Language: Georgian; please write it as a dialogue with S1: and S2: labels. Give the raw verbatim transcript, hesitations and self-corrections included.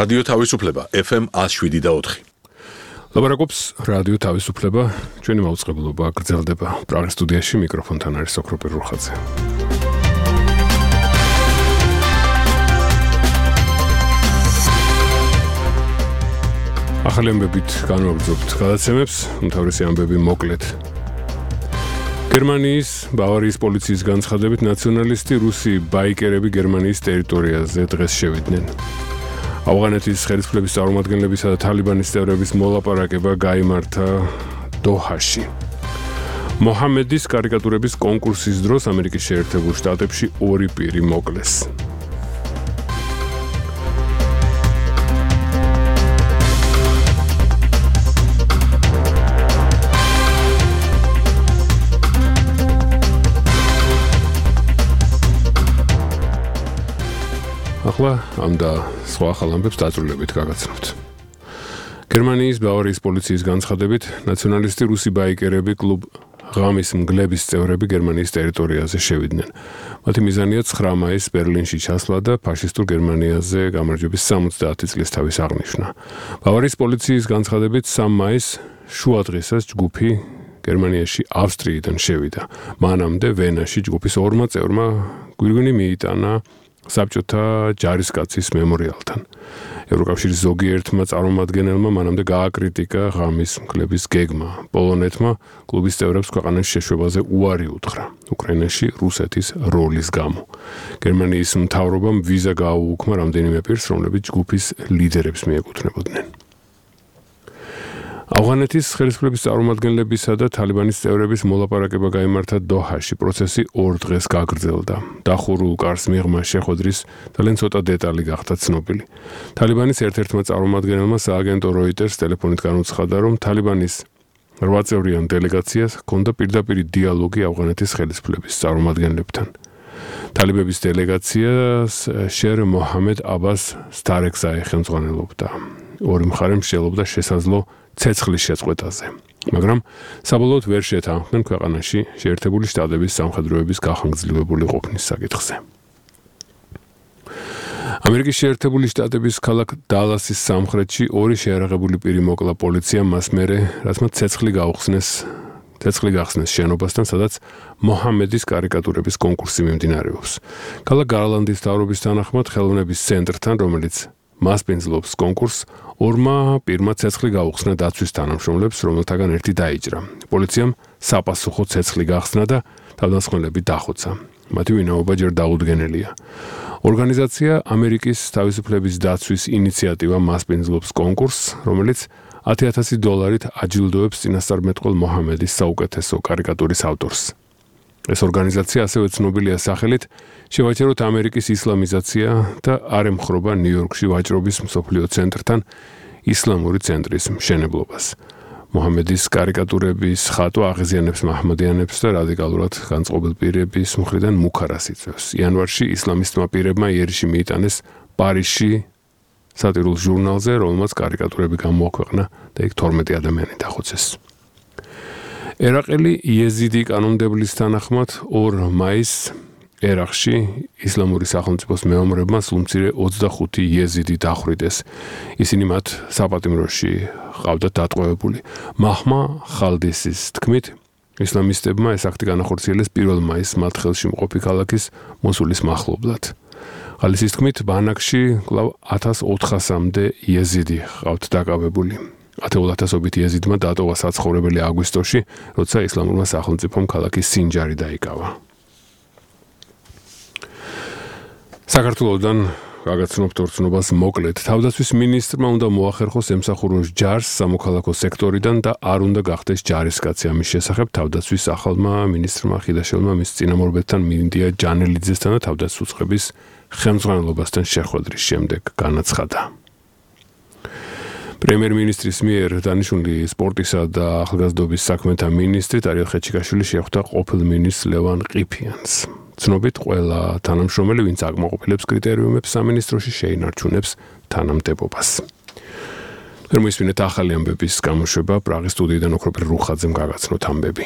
S1: რადიო თავისუფლება ეფ ემ one oh seven point four.
S2: ლაბარაკობს რადიო თავისუფლება, ჩვენი მაუწყებლობა გრძელდება. პრაღის სტუდიაში მიკროფონთან არის ოქროპირ რუხაძე. ახალი ამბებით განვაგრძობთ გადაცემებს, უმთავრესი ამბები მოკლედ. გერმანიის ბავარიის პოლიციის განცხადებით ნაციონალისტი რუსი ბაიკერები გერმანიის ტერიტორიაზე დღეს შევიდნენ. ავღანეთის ხელისუფლების წარმომადგენლებისა და თალიბანის წევრების მოლაპარაკება გაიმართა დოჰაში. მოჰამედის კარიკატურების კონკურსის დროს ამერიკის შეერთებულ შტატებში ორი პირი მოკლეს. ახლა ამ და სხვა ახალ ამბებს დაწვრილებით გაგაცნობთ. გერმანიის ბავარიის პოლიციის განცხადებით ნაციონალისტი რუსი ბაიკერები კლუბ ღამის მგლების წევრები გერმანიის ტერიტორიაზე შევიდნენ. მათი მიზანია ცხრა მაისს ბერლინში ჩასვლა და ფაშისტურ გერმანიაზე გამარჯვების სამოცდაათი წლის თავის აღნიშვნა. ბავარიის პოლიციის განცხადებით სამ მაისს შუადღესაც ჯგუფი გერმანიაში ავსტრიიდან შევიდა. მანამდე ვენაში ჯგუფის ორმა წევრმა გვირგვინი მიიტანა საბჭოთა ჯარისკაცის მემორიალთან. ევროკავშირის ზოგიერთმა წარმომადგენელმა მანამდე გააკრიტიკა ღამის მგლების გეგმა. პოლონეთმა კლუბის წევრებს ქვეყანაში შეშვებაზე უარი უთხრა უკრაინაში რუსეთის როლის გამო. გერმანიის მთავრობამ ვიზა გააუქმა რამდენიმე პირს, რომლებიც ჯგუფის ლიდერებს მიეკუთვნებოდნენ. ავღანეთის ხელისუფლების წარმომადგენლებისა და თალიბანის წევრების მოლაპარაკება გაიმართა დოჰაში. პროცესი ორ დღეს გაგრძელდა. დახურულ კარს მიღმა შეხვედრის ძალიან ცოტა დეტალი გახდა ცნობილი. თალიბანის ერთ-ერთმა წარმომადგენელმა სააგენტო როიტერს ტელეფონით განუცხადა, რომ თალიბანის რვა წევრიან დელეგაციას ჰქონდა პირდაპირი დიალოგი ავღანეთის ხელისუფლების წარმომადგენლებთან. თალიბების დელეგაციას შერ მოჰამედ აბას სტარეკზაი ხელმძღვანელობდა. ორი მხარე მსჯელობდა შესაძლო ცეცხლის შეწყვეტაზე, მაგრამ საბოლოოდ ვერ შეთანხმდნენ ქვეყანაში შეერთებული შტატების სამხედროების გახანგრძლივებული ყოფნის საკითხზე. ამერიკის შეერთებული შტატების ქალაქ დალასის სამხრეთში ორი შეარაღებული პირი მოკლა პოლიციამ მას მერე, რაც მათ ცეცხლი გაუხსნეს ცეცხლი გახსნეს შენობასთან, სადაც მოჰამედის კარიკატურების კონკურსი მიმდინარეობს. ქალაქ გარლანდის მთავრობის თანახმად ხელოვნების ცენტრთან, რომელიც მასპინძლობს კონკურსს, ორმა პირმა ცეცხლი გაუხსნა დაცვის თანამშრომლებს, რომელთაგან ერთი დაიჭრა. პოლიციამ საპასუხო ცეცხლი გახსნა და თავდამსხმელები დახოცა. მათი ვინაობა ჯერ დაუდგენელია. ორგანიზაცია ამერიკის თავისუფლების დაცვის ინიციატივა მასპინძლობს კონკურსს, რომელიც ათი ათასი დოლარით აჯილდოებს წინასწარმეტყველ მოჰამედის საუკეთესო კარიკატურის ავტორს. ეს ორგანიზაცია ასევე ცნობილია სახელით შევაჩეროთ ამერიკის ისლამიზაცია და არ ემხრობა ნიუ-იორკში ვაჭრობის მსოფლიო ცენტრთან ისლამური ცენტრის მშენებლობას. მოჰამედის კარიკატურების ხატვა აღიზიანებს მაჰმადიანებს და რადიკალურად განწყობილ პირების მხრიდან მუქარას იწვევს. იანვარში ისლამისტმა პირებმა იერიში მიიტანეს პარიზში სატირულ ჟურნალზე, რომელმაც კარიკატურები გამოაქვეყნა და იქ თორმეტი ადამიანი დახოცეს. ერაყელი იეზიდი კანონმდებლის თანახმად ორ მაისს ერაყში ისლამური სახელმწიფოს მეომრებმა სულმცირე ოცდახუთი იეზიდი დახვრიტეს. ისინი მათ საპატიმროში ყავდათ დატყვევებული. მაჰმა ხალდისის თქმით, ისლამისტებმა ეს აქტი განახორციელეს პირველ მაისს მათ ხელში მყოფი ქალაქის მოსულის მახლობლად. ხალდისის თქმით, ბანაკში კვლავ ათას ოთხასამდე იეზიდი ყავთ დაკავებული. ათეულ ათასობით იეზიდმა დატოვა საცხოვრებელი აგვისტოში, როცა ისლამურმა სახელმწიფომ ქალაქის სინჯარი დაიკავა. საქართველოდან გაგაცნობთ ორცნობას მოკლედ. თავდაცვის მინისტრმა უნდა მოახერხოს ემსახუროს ჯარს სამოქალაქო სექტორიდან და არ უნდა გახდეს ჯარისკაცი. ამის შესახებ თავდაცვის ახალმა მინისტრმა ხიდაშვილმა მის წინამორბედთან მინდია ჯანელიძესთან და თავდაცვის უწყების ხელმძღვანელობასთან შეხვედრის შემდეგ განაცხადა. პრემიერ-მინისტრის მიერ დანიშნული სპორტისა და ახალგაზრდობის საქმეთა მინისტრი ტარიელ ხეჩიკაშვილი შეხვდა ყოფილ მინისტრს ლევან ყიფიანს. ცნობით, ყველა თანამშრომელი, ვინც აკმაყოფილებს კრიტერიუმებს სამინისტროში, შეინარჩუნებს თანამდებობას. მოისმინეთ ახალი ამბების გამოშვება პრაღის სტუდიიდან ოქროპირ რუხაძემ გაგაცნოთ ამბები.